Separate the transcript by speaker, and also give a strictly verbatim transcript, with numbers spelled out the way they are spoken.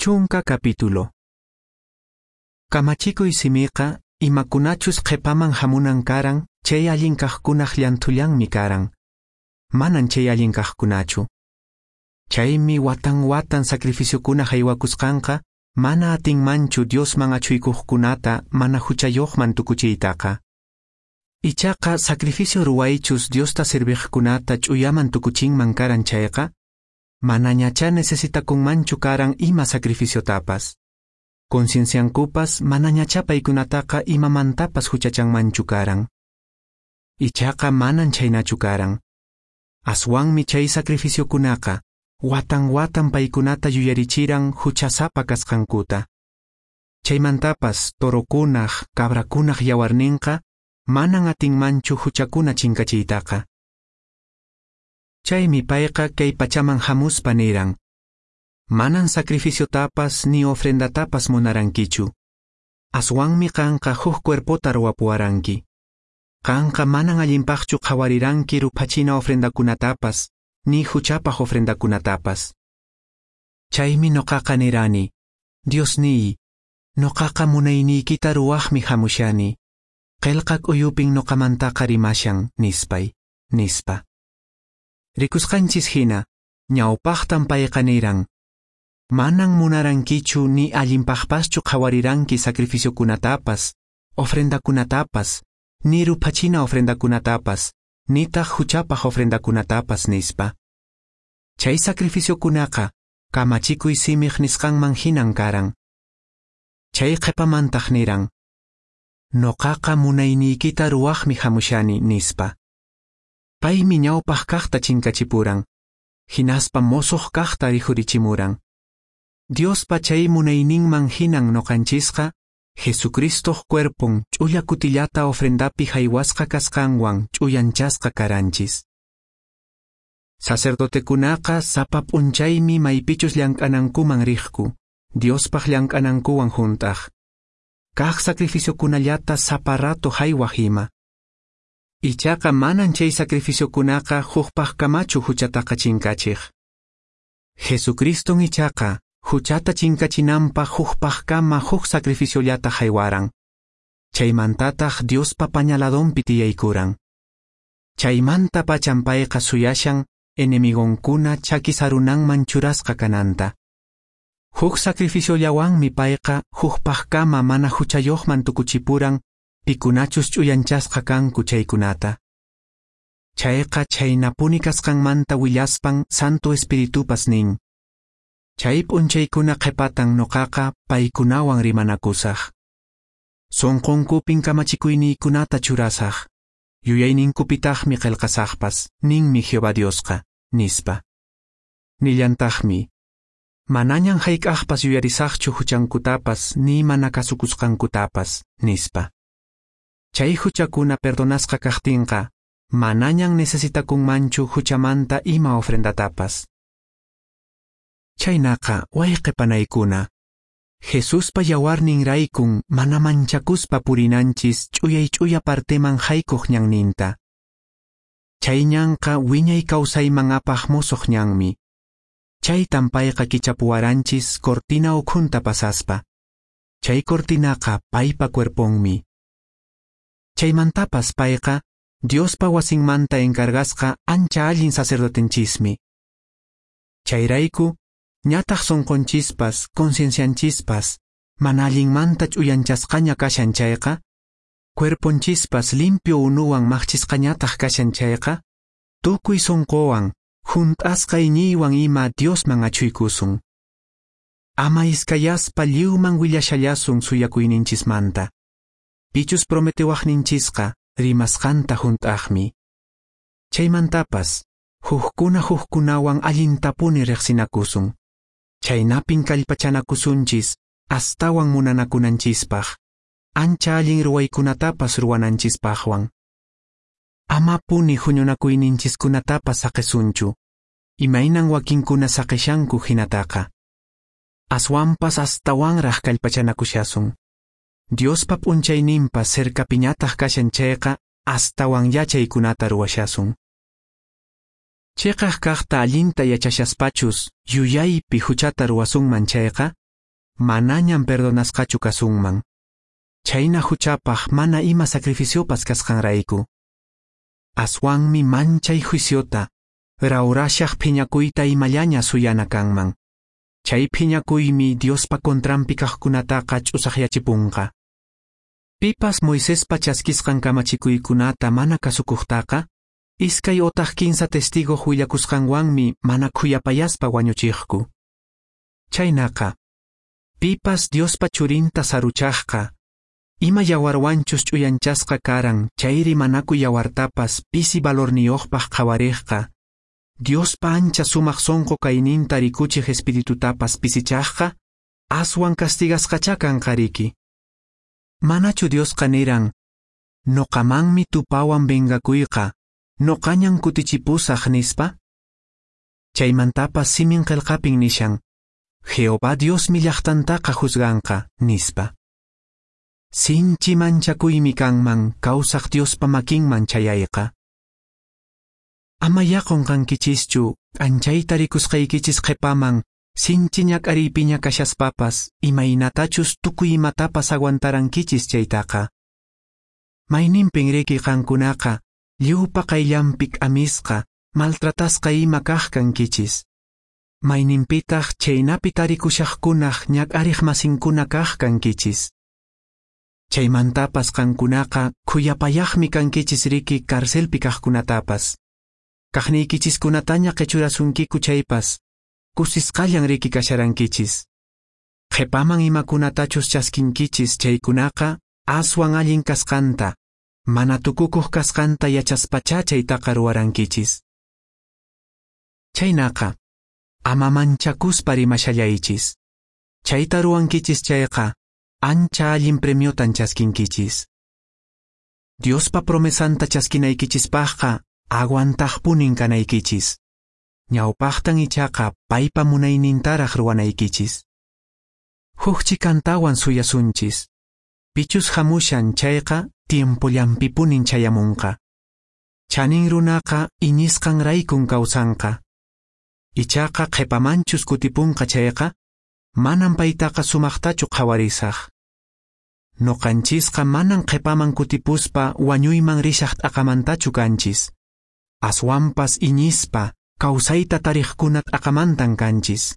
Speaker 1: Chunka capítulo. Kamachikuy simiqa imakunachus qhipaman hamunan karan chay allin kaqkunaq llanthullanmi karan. Manan chay allin kaqkunachu. Chaymi watan watan sacrificiokuna haywakusqanqa mana atinmanchu Diosman achhuykuqkunata mana huchayuqman tukuchiytaqa. Ichaqa sacrificio ruwaychus Diosta serviqkunata ch'uyaman tukuchinman karan chayqa, manañachá necesitakunmanchu karan ima sacrificiotapas. Concienciankupas manañachá paykunataqa imamantapas huchachanmanchu karan. Ichaqa manan chhaynachu karan. Aswanmi chay sacrificiokunaqa watan watan paykunata yuyarichiran huchasapa kasqankuta. Chaymantapas torokunaq, cabrakunaq yawarninqa manan atinmanchu huchakuna chinkachiytaqa. Chaymi payqa kay pachaman hamuspa niran: Manan sacrificiotapas ni ofrendatapas munarankichu. Aswanmi qanqa huk cuerpota ruwapuwaranki. Qanqa manan allinpaqchu qhawariranki ruphachina ofrendakunatapas, ni huchapaq ofrendakunatapas. Chaymi noqaqa nirani: Diosniy, noqaqa munayniykita ruwaqmi hamushani. Qillqa k'uyupin noqamantaqa rimashan, nispay, nispa. Rikusqanchis hina, ñawpaqtan payqa niran: Manan munarankichu ni allinpaqpaschu qhawariranki sacrificiokunatapas, ofrendakunatapas, ni ruphachina ofrendakunatapas, nitaq huchapaq ofrendakunatapas, nispa. Chay sacrificiokunaqa kamachikuy simiq nisqanman hinan karan. Chay qhipamantaq niran: Noqaqa munayniykita ruwaqmi hamushani, nispa. Paymi ñawpaq kaqta chinkachipuran, hinaspa mosoq kaqta rikhurichimuran. Diospa chay munayninman hinan noqanchisqa Jesucristoq cuerpon ch'ulla kutillata ofrendapi haywasqa kasqanwan ch'uyanchasqa karanchis. Sacerdotekunaqa sapa p'unchaymi maypichus llank'anankuman riqku, Diospaq llank'anankuwan hunt'aq. Kaq sacrificiokunallata sapa rato haywaq ima. Ichaqa manan chay sacrificiokunaqa hukpaqkamachu huchataqa chinkachiq. Jesucriston ichaqa huchata chinkachinanpaq hukpaqkama huk sacrificiollata haywaran. Chaymantataq Diospa pañaladonpi tiyaykuran. Chaymanta pachan payqa suyashan enemigonkuna chakisarunanman churasqa kananta. Huk sacrificiollawanmi payqa hukpaqkama mana huchayuqman tukuchipuran pikunachus ch'uyanchasqa kanku chaykunata. Chayqa chhaynapuni kasqanmanta willaspan Santo Espiritupas nin: Chay p'unchaykuna qhipatan noqaqa paykunawan rimanakusaq. Sunqunkupin kamachikuyniykunata churasaq, yuyayninkupitaqmi qillqasaqpas, ninmi Jehová Diosqa, nispa. Nillantaqmi: Manañan hayk'aqpas yuyarisaqchu huchankutapas ni mana kasukusqankutapas, nispa. Chay huchakuna perdonasqa kaqtinqa, manañan necesitakunmanchu huchamanta ima ofrendatapas. Chaynaqa wayqe panaykuna, Jesuspa yawarnin raykun mana manchakuspa purinanchis ch'uyay ch'uya parteman haykuq ñanninta. Chay ñanqa wiñay kawsayman apaq mosoq ñanmi. Chaytan payqa kichapuwaranchis cortina ukhunta pasaspa. Chay cortinaqa paypa cuerponmi. Chaymantapas payqa Diospa wasinmanta encargasqa ancha allin sacerdotenchismi. Chayrayku ñataq sunqunchispas, conciencianchispas, mana allinmanta ch'uyanchasqaña kashan chayqa, cuerponchispas limpio unuwan maqchisqañataq kashan chayqa, tukuy sunquwan, hunt'asqa iñiywan ima Diosman achhuykusun. Ama iskayaspa lliwman willashallasun suyakuyninchismanta. Pichus prometewaqninchisqa rimasqanta hunt'aqmi. Chaymantapas, hukkuna hukkunawan allintapuni riqsinakusun. Chaynapin kallpachanakusunchis astawan munanakunanchispaq, ancha allin ruwaykunatapas ruwananchispaqwan. Amapuni huñunakuyninchiskunatapas saqisunchu, imaynan wakinkuna saqishanku hinataqa. Aswanpas astawanraq kallpachanakushasun. Diospa p'unchayninpas cercapiñataq kashan chayqa astawan yachaykunata ruwashasun. Chiqaq kaqta allinta yachashaspachus yuyaypi huchata ruwasunman chayqa, manañan perdonasqachu kasunman. Chhayna huchapaq mana ima sacrificiopas kasqanrayku. Aswanmi manchay juiciota, rawrashaq phiñakuyta imallaña suyana kanman. Chay phiñakuymi Diospa contranpi kaqkunataqa ch'usaqyachipunqa. Pipas Moisespa chaskisqan kamachikuykunata mana kasukuqtaqa, iskay otaq kinsa testigoq willakusqanwanmi mana khuyapayaspa wañuchiqku. Chhaynaqa, pipas Diospa churinta saruchaqqa, ima yawarwanchus ch'uyanchasqa karan chay rimanakuy yawartapas pisi valorniyuqpaq qhawariqqa, Diospa ancha sumaq sonqo kayninta rikuchiq espiritutapas pisichaqqa, aswan castigasqachá kanqa riki. Manachu Diosqa niran, noqamanmi tupawan vengakuyqa, noqañan kutichipusaq nispa? Chaymantapas simin qelqapin nishan, Jehová Diosmi llaqtantaqa juzganqa, nispa. Sinchi manchakuymi kanman kawsaq Diospa makinman chayayqa. Ama qonqankichischu k'anchayta rikusqaykichis qhepaman sinchi ñak'ariypiña kashaspapas imaynatachus tukuy imatapas aguantarankichis chaytaqa. Mayninpin riki qankunaqa lliwpa qayllanpi k'amisqa, maltratasqa ima kaq kankichis. Mayninpitaq chhaynapi tarikushaqkunaq ñak'ariq masinkuna kaq kankichis. Chaymantapas qankunaqa khuyapayaqmi kankichis riki carcelpi kaqkunatapas. Kaqniykichiskunataña qechurasunkiku chaypas, kusisqallan riki kasharankichis. Qhepaman imakunatachus chaskinkichis chaykunaqa aswan allin kasqanta, mana tukukuq kasqanta yachaspachá chaytaqa ruwarankichis. Chaynaqa, ama manchakuspa rimashallaychis. Chayta ruwankichis chayqa, ancha allin premiotan chaskinkichis. Diospa promesanta chaskinaykichispaqqa aguantaqpunin kanaykichis. Ñawpaqtan ichaqa paypa munaynintaraq ruwanaykichis. Huk chikantawan suyasunchis. Pichus hamushan chayqa tiempollanpipunin chayamunqa. Chanin runaqa iñisqanraykun kawsanqa. Ichaqa qhepamanchus kutipunqa chayqa, manan paytaqa sumaqtachu qhawarisaq. Noqanchisqa manan qhepaman kutipuspa wañuyman rishaq t'aqamantachu kanchis. Aswanpas iñispa kawsayta tariqkuna t'aqamantan kanchis.